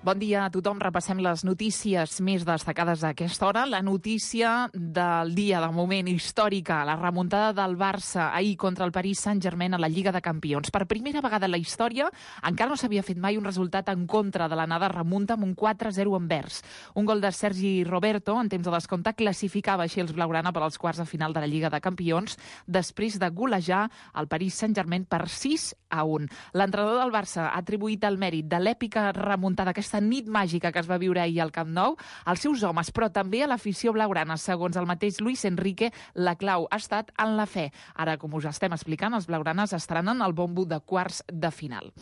Bon dia a tothom. Repassem les notícies més destacades d'aquesta hora. La notícia del dia, de moment, històrica, la remuntada del Barça ahir contra el Paris Saint-Germain a la Lliga de Campions. Per primera vegada en la història, encara no s'havia fet mai un resultat en contra de l'anada remunta amb un 4-0 envers. Un gol de Sergi Roberto, en temps de descompte, classificava així els blaugrana per als quarts de final de la Lliga de Campions, després de golejar el Paris Saint-Germain per 6-1. L'entrenador del Barça ha atribuït el mèrit de l'èpica remuntada, aquesta nit màgica que es va viure ahir al Camp Nou, als seus homes, però també a l'afició blaugrana. Segons el mateix Luis Enrique, la clau ha estat en la fe. Ara, com us estem explicant, els blaugranes estrenen el bombo de quarts de final.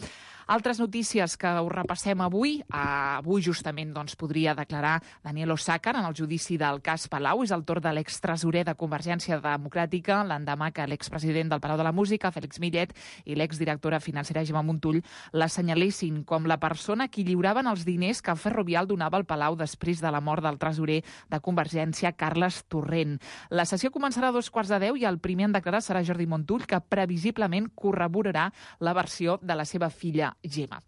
Altres notícies que us repassem avui. Avui justament podria declarar Daniel Osàcar en el judici del cas Palau. És el torn de l'extresorer de Convergència Democràtica, l'endemà que l'expresident del Palau de la Música, Félix Millet, i l'exdirectora financera, Gemma Montull, l'assenyalessin com la persona qui lliuraven els diners que Ferrovial donava al Palau després de la mort del tresorer de Convergència, Carles Torrent. La sessió començarà a 2:15 i el primer en declarar serà Jordi Montull, que previsiblement corroborarà la versió de la seva filla Gemma.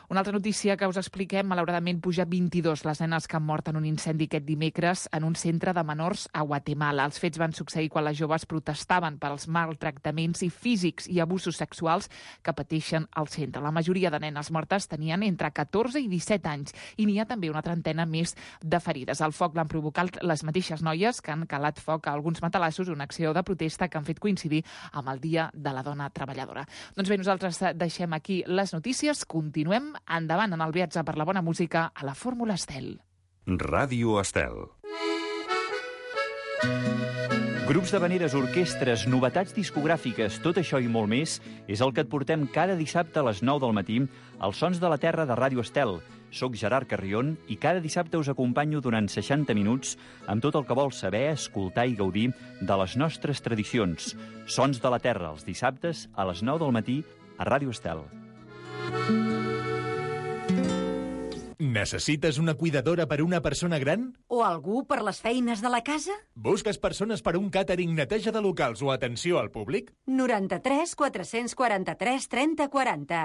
Una altra notícia que us expliquem, malauradament puja 22 les nenes que han mort en un incendi aquest dimecres en un centre de menors a Guatemala. Els fets van succeir quan les joves protestaven per als maltractaments i físics i abusos sexuals que pateixen al centre. La majoria de nenes mortes tenien entre 14 i 17 anys i n'hi ha també una trentena més de ferides. El foc l'han provocat les mateixes noies que han calat foc a alguns matalassos, una acció de protesta que han fet coincidir amb el Dia de la Dona Treballadora. Doncs bé, nosaltres deixem aquí les notícies, continuem endavant en el viatge per la bona música a la Fórmula Estel. Ràdio Estel. Grups d'havaneres, orquestres, novetats discogràfiques, tot això i molt més és el que et portem cada dissabte a les 9 del matí als Sons de la Terra de Ràdio Estel. Soc Gerard Carrion i cada dissabte us acompanyo durant 60 minuts amb tot el que vols saber, escoltar i gaudir de les nostres tradicions. Sons de la Terra, els dissabtes a les 9 del matí a Ràdio Estel. Necessites una cuidadora per una persona gran? O algú per les feines de la casa? Busques persones per un càtering, neteja de locals o atenció al públic? 93 443 30 40.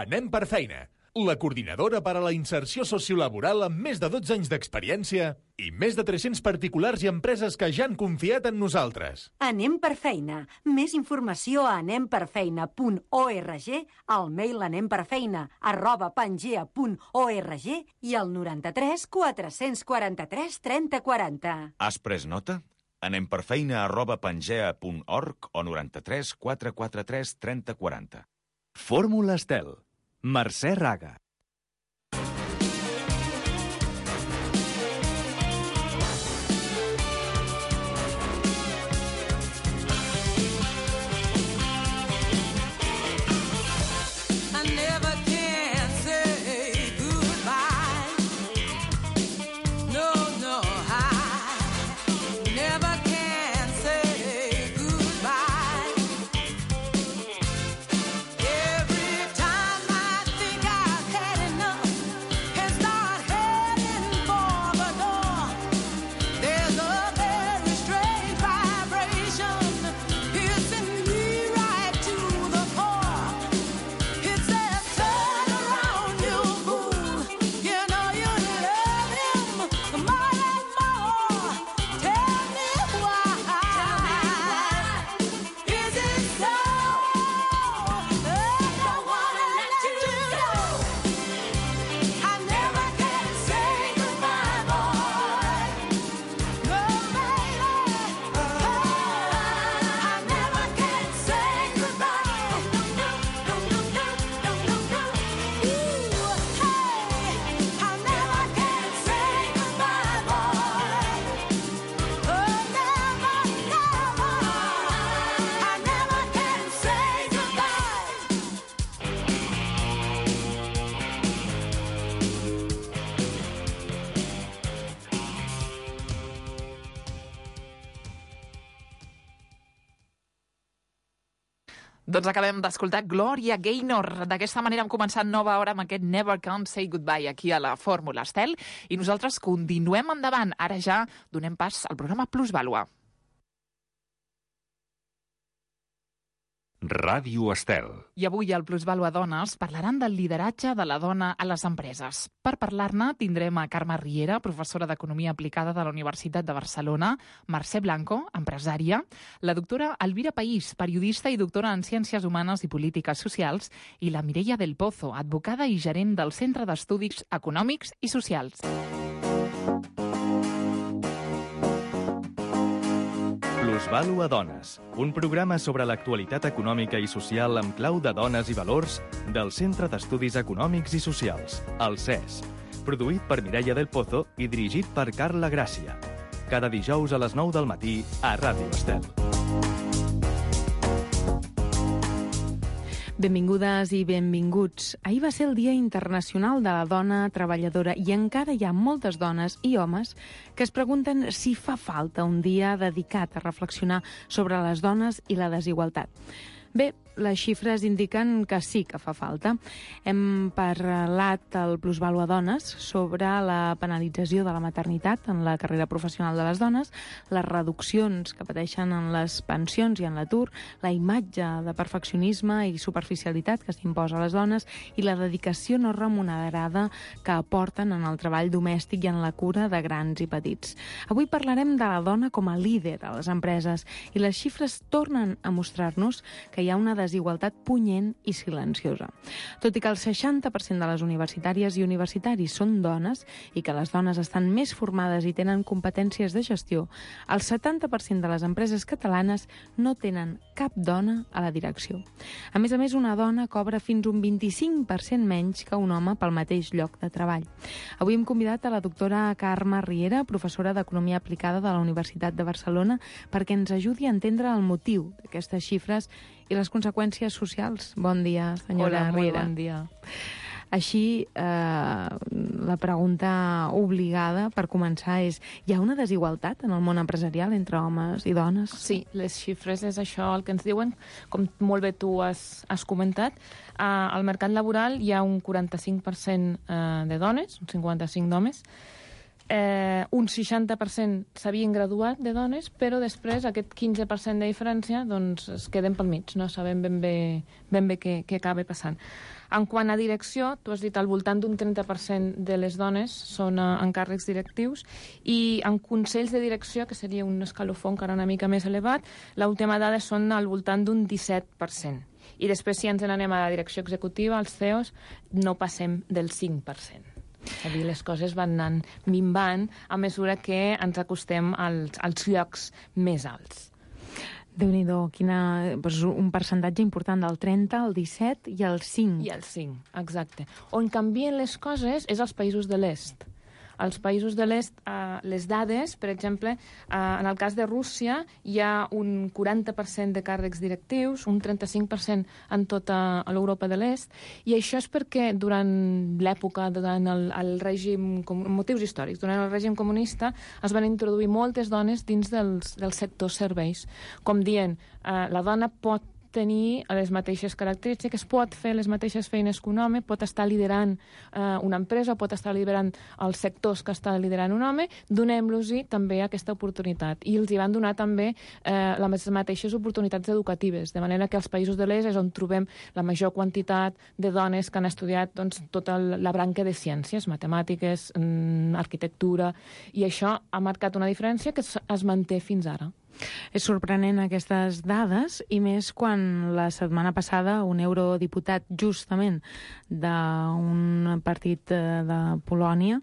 Anem per feina. La coordinadora per a la inserció sociolaboral amb més de 12 anys d'experiència i més de 300 particulars i empreses que ja han confiat en nosaltres. Anem per feina. Més informació a anemperfeina.org, al mail anemperfeina@pangea.org i al 93 443 30 40. Has pres nota? anemperfeina@pangea.org o 93 443 30 40. Fórmula Estel. Mercè Raga. Doncs acabem d'escoltar Gloria Gaynor. D'aquesta manera hem començat nova hora amb aquest Never Can Say Goodbye aquí a la Fórmula Estel i nosaltres continuem endavant. Ara ja donem pas al programa Plusvàlua. Ràdio Estel. I avui al Plusvalua Dones parlaran del lideratge de la dona a les empreses. Per parlar-ne tindrem a Carme Riera, professora d'Economia Aplicada de la Universitat de Barcelona, Mercè Blanco, empresària, la doctora Elvira País, periodista i doctora en Ciències Humanes i Polítiques Socials, i la Mireia del Pozo, advocada i gerent del Centre d'Estudis Econòmics i Socials. Plusvalua Dones, un programa sobre l'actualitat econòmica i social amb clau de dones i valors del Centre d'Estudis Econòmics i Socials, el CES, produït per Mireia del Pozo i dirigit per Carla Gràcia. Cada dijous a les 9 del matí a Ràdio Estel. Benvingudes i benvinguts. Ahir va ser el Dia Internacional de la Dona Treballadora i encara hi ha moltes dones i homes que es pregunten si fa falta un dia dedicat a reflexionar sobre les dones i la desigualtat. Bé, les xifres indiquen que sí que fa falta. Hem parlat al Plusvalua Dones sobre la penalització de la maternitat en la carrera professional de les dones, les reduccions que pateixen en les pensions i en l'atur, la imatge de perfeccionisme i superficialitat que s'imposa a les dones i la dedicació no remunerada que aporten en el treball domèstic i en la cura de grans i petits. Avui parlarem de la dona com a líder a les empreses i les xifres tornen a mostrar-nos que hi ha una desigualtat punyent i silenciosa. Tot i que el 60% de les universitàries i universitaris són dones i que les dones estan més formades i tenen competències de gestió, el 70% de les empreses catalanes no tenen cap dona a la direcció. A més, una dona cobra fins un 25% menys que un home pel mateix lloc de treball. Avui hem convidat a la doctora Carme Riera, professora d'Economia Aplicada de la Universitat de Barcelona, perquè ens ajudi a entendre el motiu d'aquestes xifres i les conseqüències socials. Bon dia, senyora Riera. Hola, molt bon dia. Així, la pregunta obligada per començar és: hi ha una desigualtat en el món empresarial entre homes i dones? Sí, les xifres és això el que ens diuen. Com molt bé tu has comentat, al mercat laboral hi ha un 45% de dones, un 55% d'homes, un 60% s'havien graduat de dones, però després aquest 15% de diferència doncs, es queden pel mig, no sabem ben bé què acaba passant. En quant a direcció, tu has dit al voltant d'un 30% de les dones són en càrrecs directius i en consells de direcció, que seria un escalofó encara una mica més elevat, l'última dada són al voltant d'un 17%. I després, si ens n'anem a la direcció executiva, els CEOs, no passem del 5%. És a dir, les coses van anant minvant a mesura que ens acostem als llocs més alts. Déu-n'hi-do, un percentatge important del 30, el 17 i el 5. I el 5, exacte. On canvien les coses és als països de l'est. Als països de l'est, les dades, per exemple, en el cas de Rússia, hi ha un 40% de càrrecs directius, un 35% en tota l'Europa de l'est, i això és perquè durant l'època, durant el règim, motius històrics, durant el règim comunista, es van introduir moltes dones dins del sector serveis. Com dient, la dona pot tenir les mateixes característiques, pot fer les mateixes feines que un home, pot estar liderant una empresa, pot estar liderant els sectors que està liderant un home, donem-los-hi també aquesta oportunitat. I els hi van donar també les mateixes oportunitats educatives, de manera que als països de l'est és on trobem la major quantitat de dones que han estudiat tota la branca de ciències, matemàtiques, arquitectura, i això ha marcat una diferència que es manté fins ara. És sorprenent aquestes dades, i més quan la setmana passada un eurodiputat justament d'un partit de Polònia,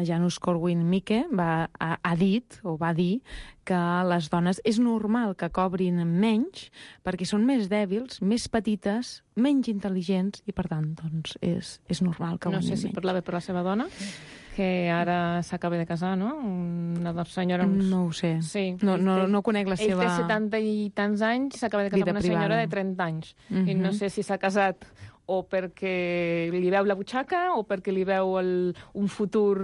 Janusz Korwin-Mikke, va dir que les dones és normal que cobrin menys perquè són més dèbils, més petites, menys intel·ligents i, per tant, doncs, és normal que guanyin menys. No sé si parlava per la seva dona, que ara s'acaba de casar, no? Una senyora... No ho sé. Sí. No conec la seva... Ell té 70 i tants anys, s'acaba de casar amb una senyora de 30 anys. I no sé si s'ha casat o perquè li veu la butxaca o perquè li veu un futur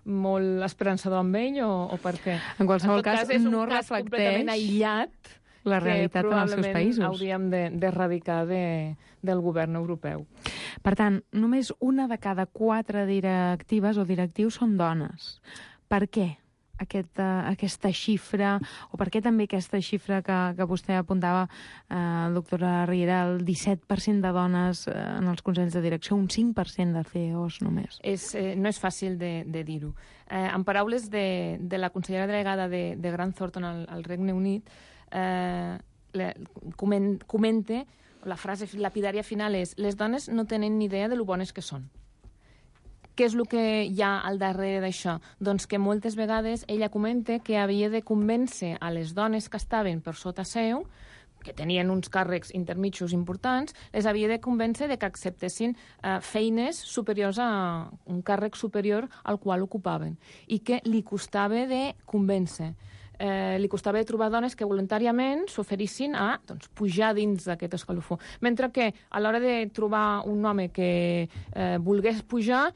molt esperançador amb ell o per què. En qualsevol cas, no reflecteix... És un cas completament aïllat la realitat en els seus països. Hauríem d'erradicar del govern europeu. Per tant, només una de cada 4 directives o directius són dones. Per què? aquesta xifra, o per què també aquesta xifra que vostè apuntava, doctora Riera, el 17% de dones en els consells de direcció, un 5% de CEOs només? No és fàcil de dir-ho. En paraules de la consellera delegada de Grant Thornton al Regne Unit, comenta, la frase lapidària final és: les dones no tenen ni idea de lo bones que són. Què és el que hi ha al darrere d'això? Doncs que moltes vegades ella comenta que havia de convèncer a les dones que estaven per sota seu, que tenien uns càrrecs intermitjos importants, les havia de convèncer de que acceptessin feines superiors a un càrrec superior al qual ocupaven, i que li costava de convèncer. Li costava trobar dones que voluntàriament s'oferissin a pujar dins d'aquest escalofó. Mentre que a l'hora de trobar un home que volgués pujar,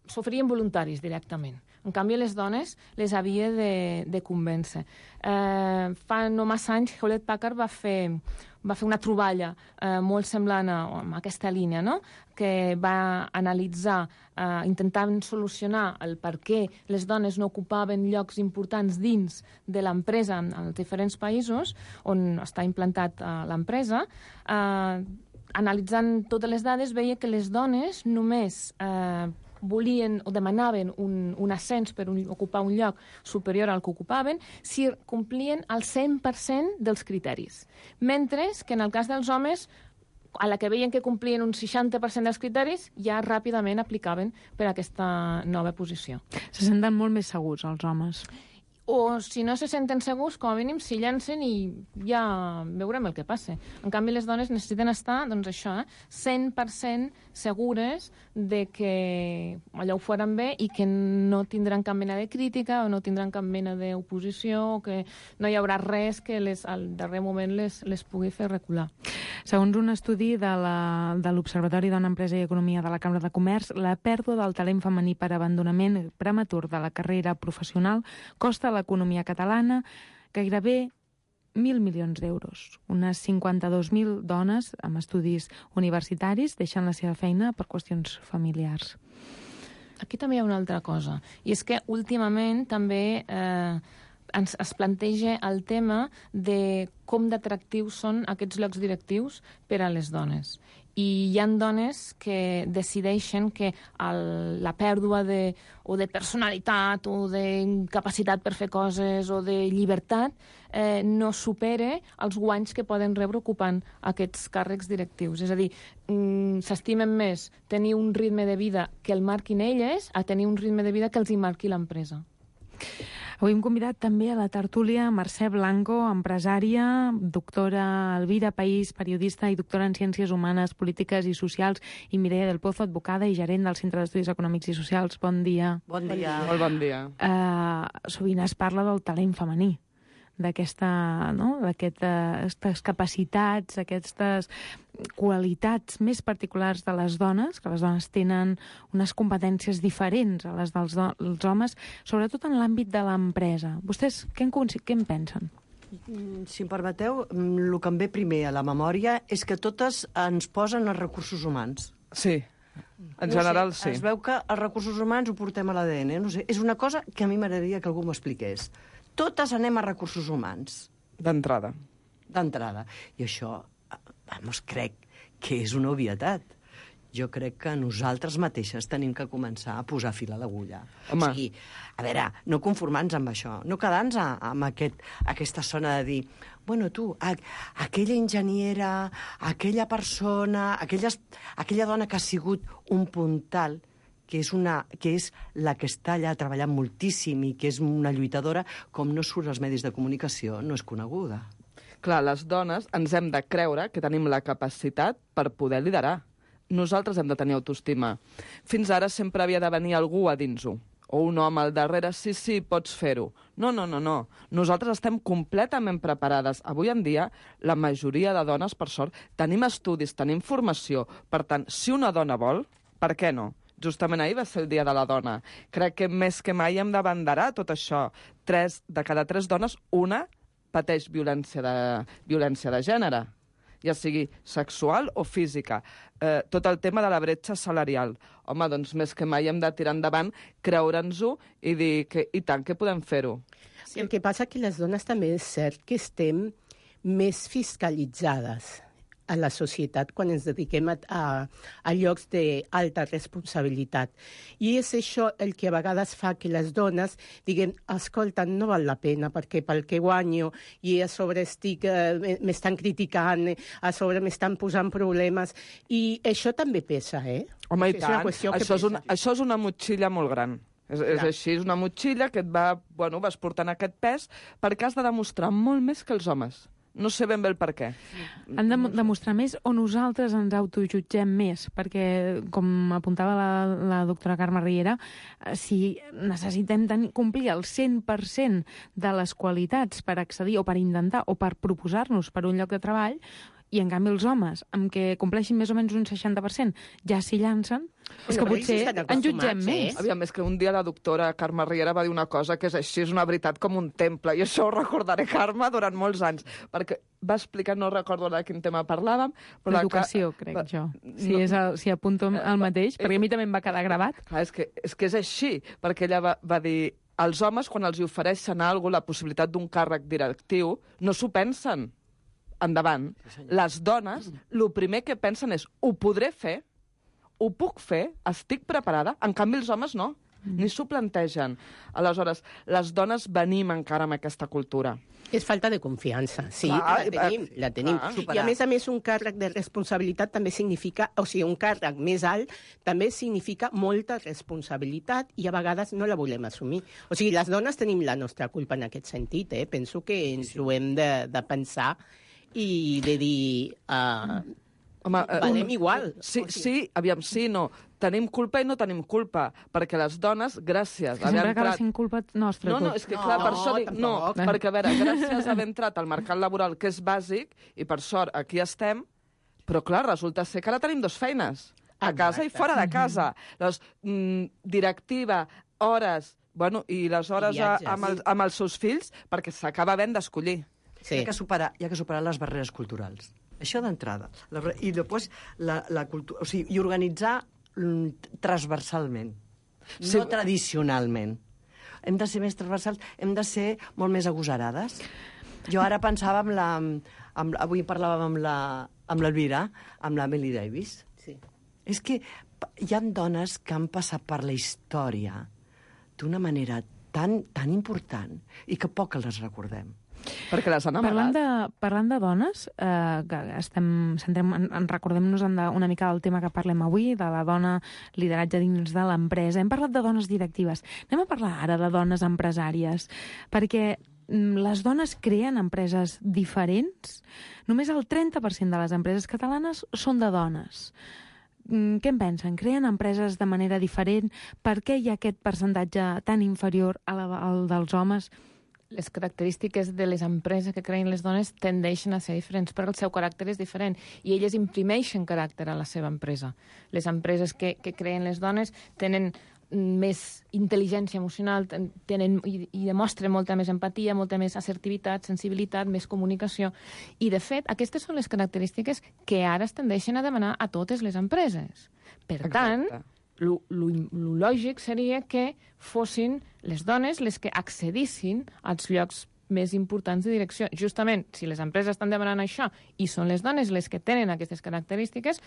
s'oferien voluntaris directament. En canvi, les dones les havia de convèncer. Fa no massa anys, Hewlett Packard va fer una troballa molt semblant a aquesta línia, no? Que va analitzar, intentant solucionar el per què les dones no ocupaven llocs importants dins de l'empresa en els diferents països on està implantat l'empresa. Analitzant totes les dades, veia que les dones només volien o demanaven un ascens per ocupar un lloc superior al que ocupaven si complien el 100% dels criteris. Mentre que en el cas dels homes, a la que veien que complien un 60% dels criteris, ja ràpidament aplicaven per a aquesta nova posició. Se senten molt més segurs, els homes. O, si no se senten segurs, com a mínim s'hi llancen i ja veurem el que passa. En canvi, les dones necessiten estar, doncs això, 100% segures de que allò ho faran bé i que no tindran cap mena de crítica o no tindran cap mena d'oposició o que no hi haurà res que al darrer moment les pugui fer recular. Segons un estudi de l'Observatori Dona, Empresa i Economia de la Cambra de Comerç, la pèrdua del talent femení per abandonament prematur de la carrera professional costa a l'economia catalana gairebé 1.000 milions d'euros. Unes 52.000 dones amb estudis universitaris deixen la seva feina per qüestions familiars. Aquí també hi ha una altra cosa, i és que últimament també es planteja el tema de com d'atractius són aquests llocs directius per a les dones. I hi ha dones que decideixen que la pèrdua de personalitat o de capacitat per fer coses o de llibertat no supere els guanys que poden rebre ocupant aquests càrrecs directius. És a dir, s'estimen més tenir un ritme de vida que el marquin elles a tenir un ritme de vida que els hi marqui l'empresa. Avui hem convidat també a la tertúlia Mercè Blanco, empresària, doctora Elvira País, periodista i doctora en Ciències Humanes, Polítiques i Socials, i Mireia del Pozo, advocada i gerent del Centre d'Estudis Econòmics i Socials. Bon dia. Bon dia. Molt bon dia. Sovint es parla del talent femení, d'aquestes capacitats, aquestes qualitats més particulars de les dones, que les dones tenen unes competències diferents a les dels homes, sobretot en l'àmbit de l'empresa. Vostès què en pensen? Si em permeteu, el que em ve primer a la memòria és que totes ens posen els recursos humans. Sí, en general sí. Es veu que els recursos humans ho portem a l'ADN. No sé, és una cosa que a mi m'agradaria que algú m'expliqués. Totes anem a recursos humans. D'entrada. I això, crec que és una obvietat. Jo crec que nosaltres mateixes tenim que començar a posar fil a l'agulla. Home. O sigui, a veure, no conformar-nos amb això, no quedar-nos amb aquesta zona de dir, bueno, tu, aquella enginyera, aquella persona, aquella dona que ha sigut un puntal, que és la que està allà treballant moltíssim i que és una lluitadora, com no surt als medis de comunicació, no és coneguda. Clar, les dones ens hem de creure que tenim la capacitat per poder liderar. Nosaltres hem de tenir autoestima. Fins ara sempre havia de venir algú a dins-ho. O un home al darrere, sí, pots fer-ho. No. Nosaltres estem completament preparades. Avui en dia, la majoria de dones, per sort, tenim estudis, tenim formació. Per tant, si una dona vol, per què no? Justament ahir va ser el Dia de la Dona. Crec que més que mai hem d'abanderar tot això. 3 de cada 3 dones, una pateix violència de gènere. ja sigui sexual o física. Tot el tema de la bretxa salarial. Home, doncs més que mai hem de tirar endavant, creure'ns-ho i dir que, i tant, que podem fer-ho. Sí, el que passa que les dones també és cert que estem més fiscalitzades a la societat quan ens dediquem a llocs d'alta responsabilitat. I és això el que a vegades fa que les dones diguem, escolta, no val la pena perquè pel que guanyo i a sobre m'estan criticant, a sobre m'estan posant problemes, i això també pesa, Home, i tant, això és una motxilla molt gran. És així, és una motxilla que vas portant aquest pes perquè has de demostrar molt més que els homes. No sé ben bé el per què. Han de demostrar més o nosaltres ens autojutgem més, perquè, com apuntava la doctora Carme Riera, si necessitem complir el 100% de les qualitats per accedir o per intentar o per proposar-nos per un lloc de treball, i en canvi els homes, amb què compleixin més o menys un 60%, ja s'hi llancen, és que potser en jutgem més. Aviam, és que un dia la doctora Carme Riera va dir una cosa que és així, és una veritat com un temple, i això ho recordaré, Carme, durant molts anys, perquè va explicar, no recordo de quin tema parlàvem... L'educació, crec jo. Si apunto el mateix, perquè a mi també em va quedar gravat. Clar, és que és així, perquè ella va dir... Els homes, quan els ofereixen alguna cosa, la possibilitat d'un càrrec directiu, no s'ho pensen. Endavant. Les dones, el primer que pensen és ho podré fer, ho puc fer, estic preparada, en canvi els homes no, ni s'ho plantegen. Aleshores, les dones venim encara amb aquesta cultura. És falta de confiança, sí, la tenim. I a més un càrrec de responsabilitat també significa, o sigui, un càrrec més alt també significa molta responsabilitat i a vegades no la volem assumir. O sigui, les dones tenim la nostra culpa en aquest sentit, penso que ens ho hem de pensar i de dir, valem igual. Sí, aviam, sí, no. Tenim culpa i no tenim culpa, perquè les dones, gràcies... Que sempre acaba sent culpa nostra. No, és que clar, per això dic, no, perquè a veure, gràcies a haver entrat al mercat laboral, que és bàsic, i per sort aquí estem, però clar, resulta ser que ara tenim 2 feines, a casa i fora de casa. Llavors, directiva, hores, bueno, i les hores amb els seus fills, perquè s'acaba havent d'escollir. Sí. Hi ha que superar les barreres culturals. Això d'entrada. I després la cultura, o sigui, i organitzar transversalment, no tradicionalment. Hem de ser més transversals, hem de ser molt més agosarades. Jo ara pensava avui parlàvem amb l'Elvira, amb l'Emily Davis. Sí. És que hi ha dones que han passat per la història d'una manera tan important i que poc les recordem. Perquè les han amagat. Parlant de dones, recordem-nos una mica del tema que parlem avui, de la dona lideratge dins de l'empresa. Hem parlat de dones directives. Anem a parlar ara de dones empresàries, perquè les dones creen empreses diferents. Només el 30% de les empreses catalanes són de dones. Què en pensen? Creen empreses de manera diferent? Per què hi ha aquest percentatge tan inferior al dels homes? Les característiques de les empreses que creen les dones tendeixen a ser diferents, però el seu caràcter és diferent i elles imprimeixen caràcter a la seva empresa. Les empreses que creen les dones tenen més intel·ligència emocional, tenen i demostren molta més empatia, molta més assertivitat, sensibilitat, més comunicació. I, de fet, aquestes són les característiques que ara es tendeixen a demanar a totes les empreses. Per tant, lo lògic seria que fossin les dones les que accedissin als llocs més importants de direcció. Justament, si les empreses estan demanant això i són les dones les que tenen aquestes característiques,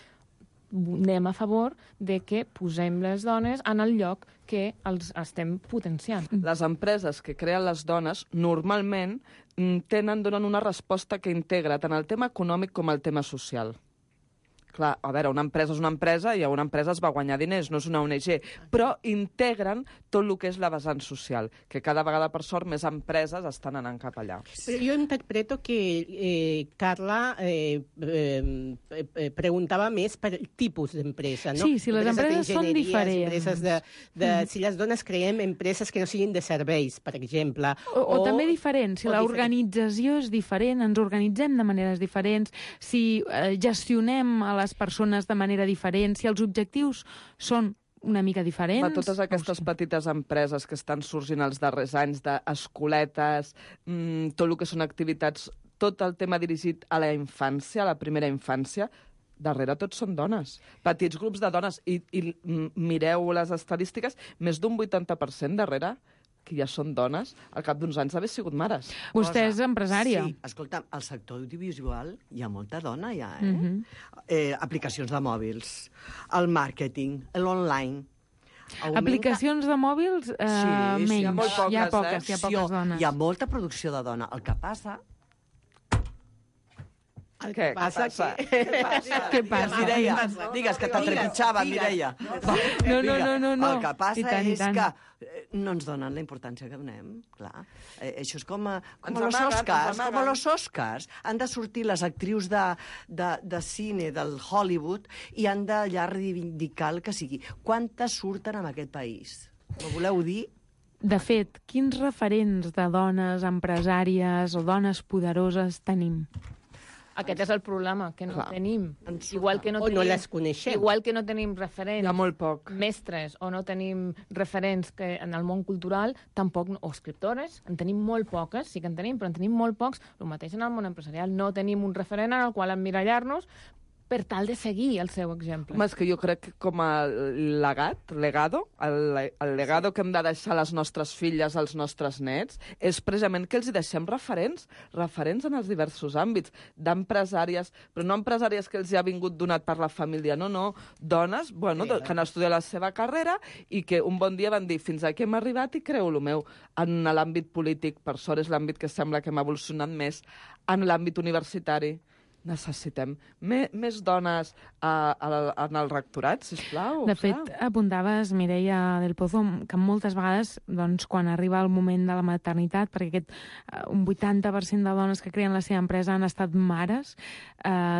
anem a favor de que posem les dones en el lloc que els estem potenciant. Les empreses que creen les dones normalment donen una resposta que integra tant el tema econòmic com el tema social. Clar, a veure, una empresa és una empresa i una empresa es va guanyar diners, no és una ONG, però integren tot el que és la vessant social, que cada vegada, per sort, més empreses estan anant cap allà. Però jo interpreto que Carla preguntava més per tipus d'empresa, no? Sí, si les empreses són diferents. Si les dones creem empreses que no siguin de serveis, per exemple. O també diferents, si l'organització és diferent, ens organitzem de maneres diferents, si gestionem a les persones de manera diferent, si els objectius són una mica diferents... Totes aquestes petites empreses que estan sorgint els darrers anys d'escoletes, tot el que són activitats tot el tema dirigit a la infància, a la primera infància, darrere tots són dones. Petits grups de dones. I mireu les estadístiques, més d'un 80% darrere que ja són dones, al cap d'uns anys d'haver sigut mares. Vostè és empresària. Sí, escolta, al sector audiovisual hi ha molta dona, ja, aplicacions de mòbils, el màrqueting, l'online. Aplicacions de mòbils, menys. hi ha molt poques, hi ha poques dones. Hi ha molta producció de dona. El que passa... Què passa? Què passa? Mireia, digues que t'atrepitjava, Mireia. No. El que passa I és tant. que no ens donen la importància que donem, clar. Això és com Ens los amaguen. Oscars. Com los Oscars. Han de sortir les actrius de cine del Hollywood i han d'allà reivindicar el que sigui. Quantes surten en aquest país? M'ho voleu dir? De fet, quins referents de dones empresàries o dones poderoses tenim? Aquest és el problema, que no tenim. Igual que no O no tenim, les coneixem. Igual que no tenim referents, Hi ha molt poc. mestres, o no tenim referents que en el món cultural, tampoc, o escriptores, en tenim molt poques, sí que en tenim, però en tenim molt pocs. El mateix en el món empresarial. No tenim un referent en el qual emmirallar-nos per tal de seguir el seu exemple. Home, és que jo crec que com a el legado que hem de deixar a les nostres filles, als nostres nets, és precisament que els hi deixem referents en els diversos àmbits, d'empresàries, però no empresàries que els hi ha vingut donat per la família, no, dones, que han estudiat la seva carrera i que un bon dia van dir fins aquí hem arribat i creu-lo meu. En l'àmbit polític, per sort, és l'àmbit que sembla que hem evolucionat més, en l'àmbit universitari, necessitem més dones en el rectorat, sisplau. De fet, apuntaves, Mireia del Pozo, que moltes vegades, doncs, quan arriba el moment de la maternitat, perquè un 80% de dones que creen la seva empresa han estat mares,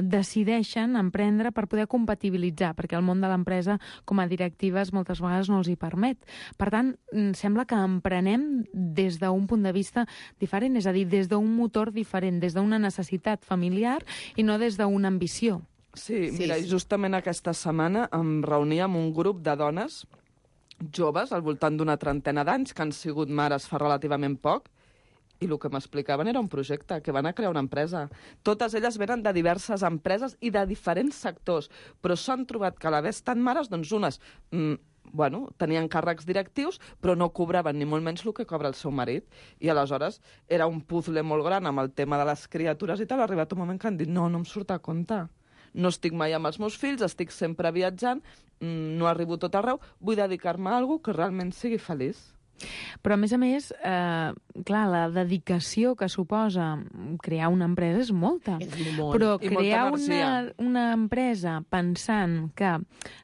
decideixen emprendre per poder compatibilitzar, perquè el món de l'empresa, com a directives, moltes vegades no els hi permet. Per tant, sembla que emprenem des d'un punt de vista diferent, és a dir, des d'un motor diferent, des d'una necessitat familiar i no des d'una ambició. Sí, mira, justament aquesta setmana em reunia amb un grup de dones joves, al voltant d'una trentena d'anys, que han sigut mares fa relativament poc, i el que m'explicaven era un projecte, que van a crear una empresa. Totes elles venen de diverses empreses i de diferents sectors, però s'han trobat que a l'haver estat mares, doncs unes tenien càrrecs directius, però no cobraven ni molt menys el que cobra el seu marit. I aleshores era un puzzle molt gran amb el tema de les criatures i tal. Ha arribat un moment que han dit, no em surt a compte. No estic mai amb els meus fills, estic sempre viatjant, no arribo tot arreu, vull dedicar-me a alguna cosa que realment sigui feliç. Però, a més, clar, la dedicació que suposa crear una empresa és molta. Però crear una empresa pensant que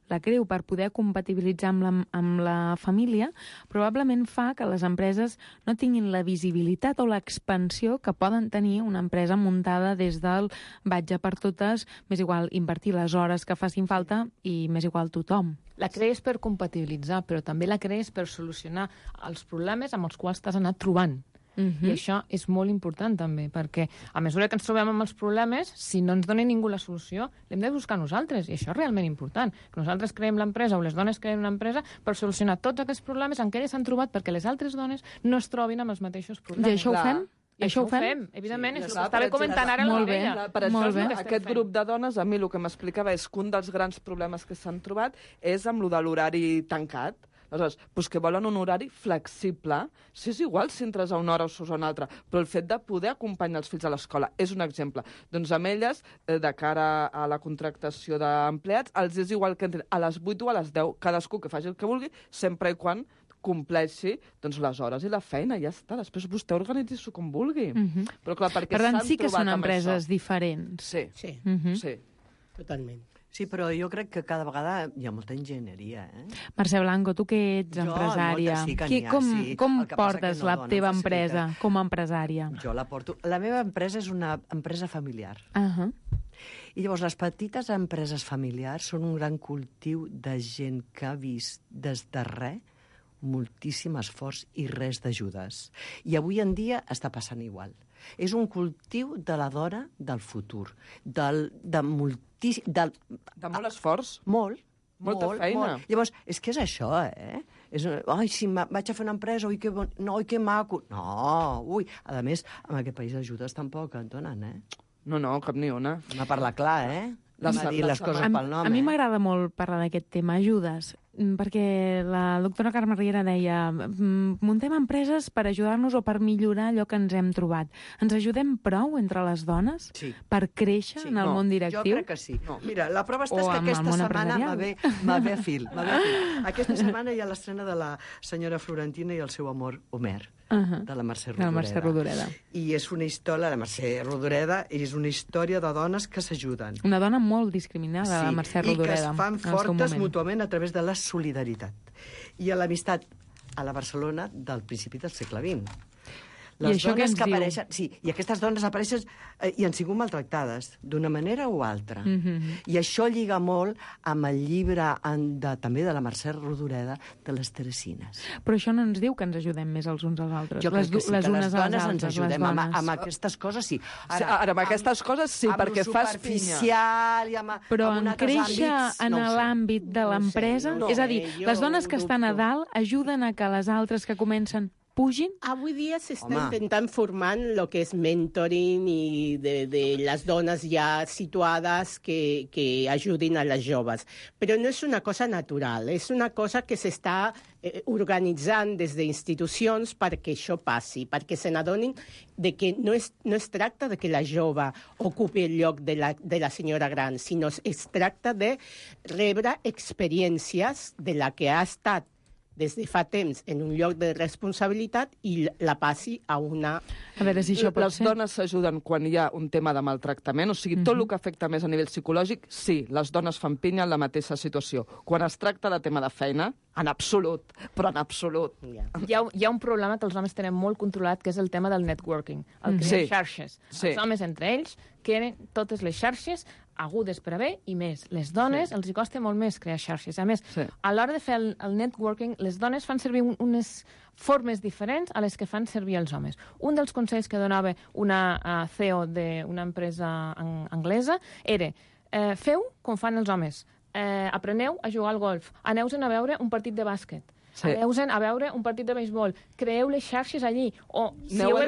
la creu per poder compatibilitzar amb la família probablement fa que les empreses no tinguin la visibilitat o l'expansió que poden tenir una empresa muntada des del vaig a per totes, m'és igual invertir les hores que facin falta i m'és igual tothom. La crees per compatibilitzar, però també la crees per solucionar els problemes amb els quals t'has anat trobant. I això és molt important també, perquè a mesura que ens trobem amb els problemes, si no ens dona ningú la solució, l'hem de buscar nosaltres, i això és realment important, que nosaltres creem l'empresa o les dones creem una empresa per solucionar tots aquests problemes en què elles s'han trobat perquè les altres dones no es trobin amb els mateixos problemes. I això ho fem? I això ho fem, evidentment, és el que estava comentant ara la Mireia. Per això, aquest grup de dones, a mi el que m'explicava és que un dels grans problemes que s'han trobat és amb lo de l'horari tancat. Aleshores, que volen un horari flexible. Si és igual si entres a una hora o surts a una altra, però el fet de poder acompanyar els fills a l'escola és un exemple. Doncs amb elles, de cara a la contractació d'empleats, els és igual que entrin a les 8 o a les 10, cadascú que faci el que vulgui, sempre i quan compleixi les hores i la feina, ja està. Després vostè organitzi-s'ho com vulgui. Però clar, perquè per tant, sí que són empreses diferents. Sí. Totalment. Sí, però jo crec que cada vegada hi ha molta enginyeria, Mercè Blanco, tu que ets empresària, com portes la teva empresa com a empresària? Jo la porto... La meva empresa és una empresa familiar. I llavors les petites empreses familiars són un gran cultiu de gent que ha vist des de res moltíssim esforç i res d'ajudes. I avui en dia està passant igual. És un cultiu de la dona del futur, de molt esforç. Molta feina. Llavors, és que és això, Ai, sí, vaig a fer una empresa, ui, que maco. No, ui. A més, en aquest país ajudes tampoc et donen, No, cap ni una. Anem a parlar clar, dir les coses pel nom. A mi m'agrada molt parlar d'aquest tema, ajudes, perquè la doctora Carme Riera deia muntem empreses per ajudar-nos o per millorar allò que ens hem trobat. Ens ajudem prou entre les dones per créixer en el món directiu? Jo crec que sí. Mira, la prova està és que aquesta setmana va bé a fil. Aquesta setmana hi ha l'estrena de la senyora Florentina i el seu amor Homer, de la Mercè Rodoreda. I és una història, la Mercè Rodoreda, és una història de dones que s'ajuden. Una dona molt discriminada, la Mercè Rodoreda. I que es fan fortes mútuament a través de la solidaritat. I a l'amistat a la Barcelona del principi del segle XX. Les dones que apareixen... Sí, i aquestes dones apareixen i han sigut maltractades d'una manera o altra. I això lliga molt amb el llibre també de la Mercè Rodoreda de les Teresines. Però això no ens diu que ens ajudem més els uns als altres. Jo crec que sí, que les dones ens ajudem. Amb aquestes coses sí. Ara, amb aquestes coses sí, perquè fas pinya. Però en créixer en l'àmbit de l'empresa... És a dir, les dones que estan a dalt ajuden a que les altres que comencen pugin? Avui dia s'està intentant formar el que és mentoring i de les dones ja situades que ajudin a les joves. Però no és una cosa natural, és una cosa que s'està organitzant des d'institucions perquè això passi, perquè se n'adonin que no es tracta de que la jove ocupi el lloc de la senyora gran, sinó es tracta de rebre experiències de la que ha estat des de fa temps en un lloc de responsabilitat i la passi a una... A veure si això pot ser. Les dones s'ajuden quan hi ha un tema de maltractament, o sigui, tot el que afecta més a nivell psicològic, sí, les dones fan pinya en la mateixa situació. Quan es tracta de tema de feina, en absolut, però en absolut. Hi ha un problema que els homes tenen molt controlat, que és el tema del networking, el crear xarxes. Els homes entre ells creen totes les xarxes agudes per a bé i més. Les dones els hi costa molt més crear xarxes. A més, a l'hora de fer el networking, les dones fan servir unes formes diferents a les que fan servir els homes. Un dels consells que donava una CEO d'una empresa anglesa era feu com fan els homes, apreneu a jugar al golf, aneu-se'n a veure un partit de bàsquet, aneu-se'n a veure un partit de béisbol, creeu les xarxes allí, o aneu a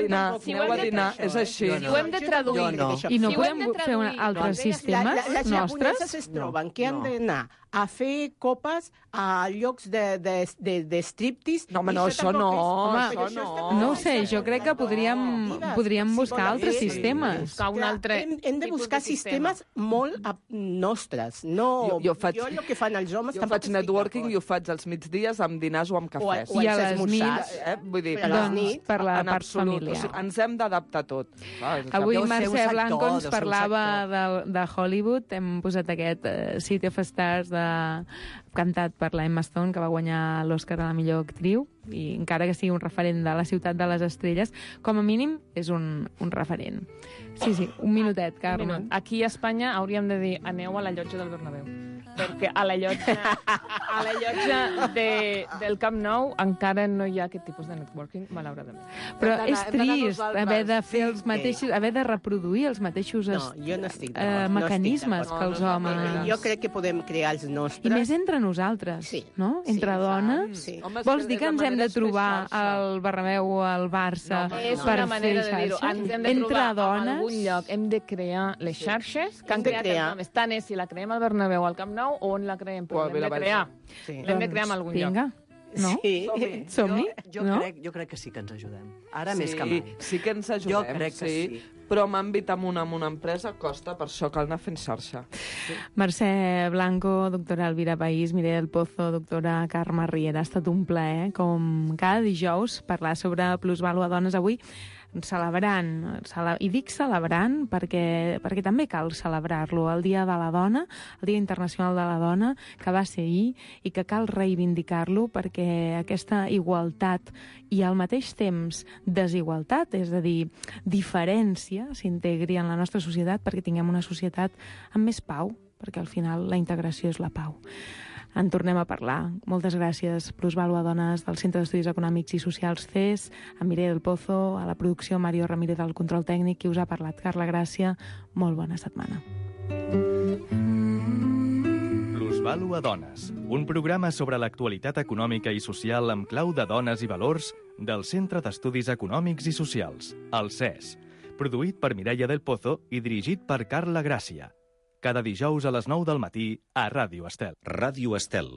dinar, és així. Si ho hem de traduir... I no podem fer altres sistemes nostres? Les japoneses es troben que han d'anar a fer copes a llocs de striptease. No, home, no, això no. No ho sé, jo crec que podríem buscar altres sistemes. Hem de buscar sistemes molt nostres. Jo el que fan els homes... Jo faig networking i ho faig als migdies amb dinars o amb cafès. I a les nits, vull dir, per la part familiar. Ens hem d'adaptar tot. Avui Mercè Blanco ens parlava de Hollywood. Hem posat aquest City of Stars cantat per la Emma Stone, que va guanyar l'Oscar a la millor actriu, i encara que sigui un referent de la ciutat de les estrelles, com a mínim és un referent. Sí, un minutet, Carme. Aquí a Espanya hauríem de dir aneu a la llotja del Bernabéu, perquè a la llotja del Camp Nou encara no hi ha aquest tipus de networking, malauradament. Però és trist haver de fer els mateixos, haver de reproduir els mateixos mecanismes que els homes. Jo crec que podem crear els nostres. I més entre nosaltres, no? Entre dones. Vols dir que ens hem de trobar al Bernabéu o al Barça per fer xarxes? Entre dones? Hem de crear les xarxes que han creat els homes. Tant és si la creem al Bernabéu o al Camp Nou o on la creem, però l'hem de crear. L'hem de crear en algun lloc. No? Som-hi? Jo crec que sí que ens ajudem. Ara més que mai. Sí que ens ajudem, jo crec que sí. Però en àmbit amb una empresa costa, per això cal anar fent xarxa. Mercè Blanco, doctora Elvira País, Mireia del Pozo, doctora Carme Riera, ha estat un plaer, com cada dijous, parlar sobre plusvàlua dones. Avui celebrant, i dic celebrant perquè també cal celebrar-lo, el Dia de la Dona, el Dia Internacional de la Dona, que va ser ahir, i que cal reivindicar-lo perquè aquesta igualtat i al mateix temps desigualtat, és a dir, diferència, s'integri en la nostra societat perquè tinguem una societat amb més pau, perquè al final la integració és la pau. En tornem a parlar. Moltes gràcies, Plusvàlua Dones del Centre d'Estudis Econòmics i Socials CES, a Mireia del Pozo, a la producció Mario Ramírez del control tècnic, qui us ha parlat, Carla Gràcia. Molt bona setmana. Plusvàlua Dones, un programa sobre l'actualitat econòmica i social amb clau de dones i valors del Centre d'Estudis Econòmics i Socials, el CES, produït per Mireia del Pozo i dirigit per Carla Gràcia. Cada dijous a les 9 del matí a Ràdio Estel. Ràdio Estel.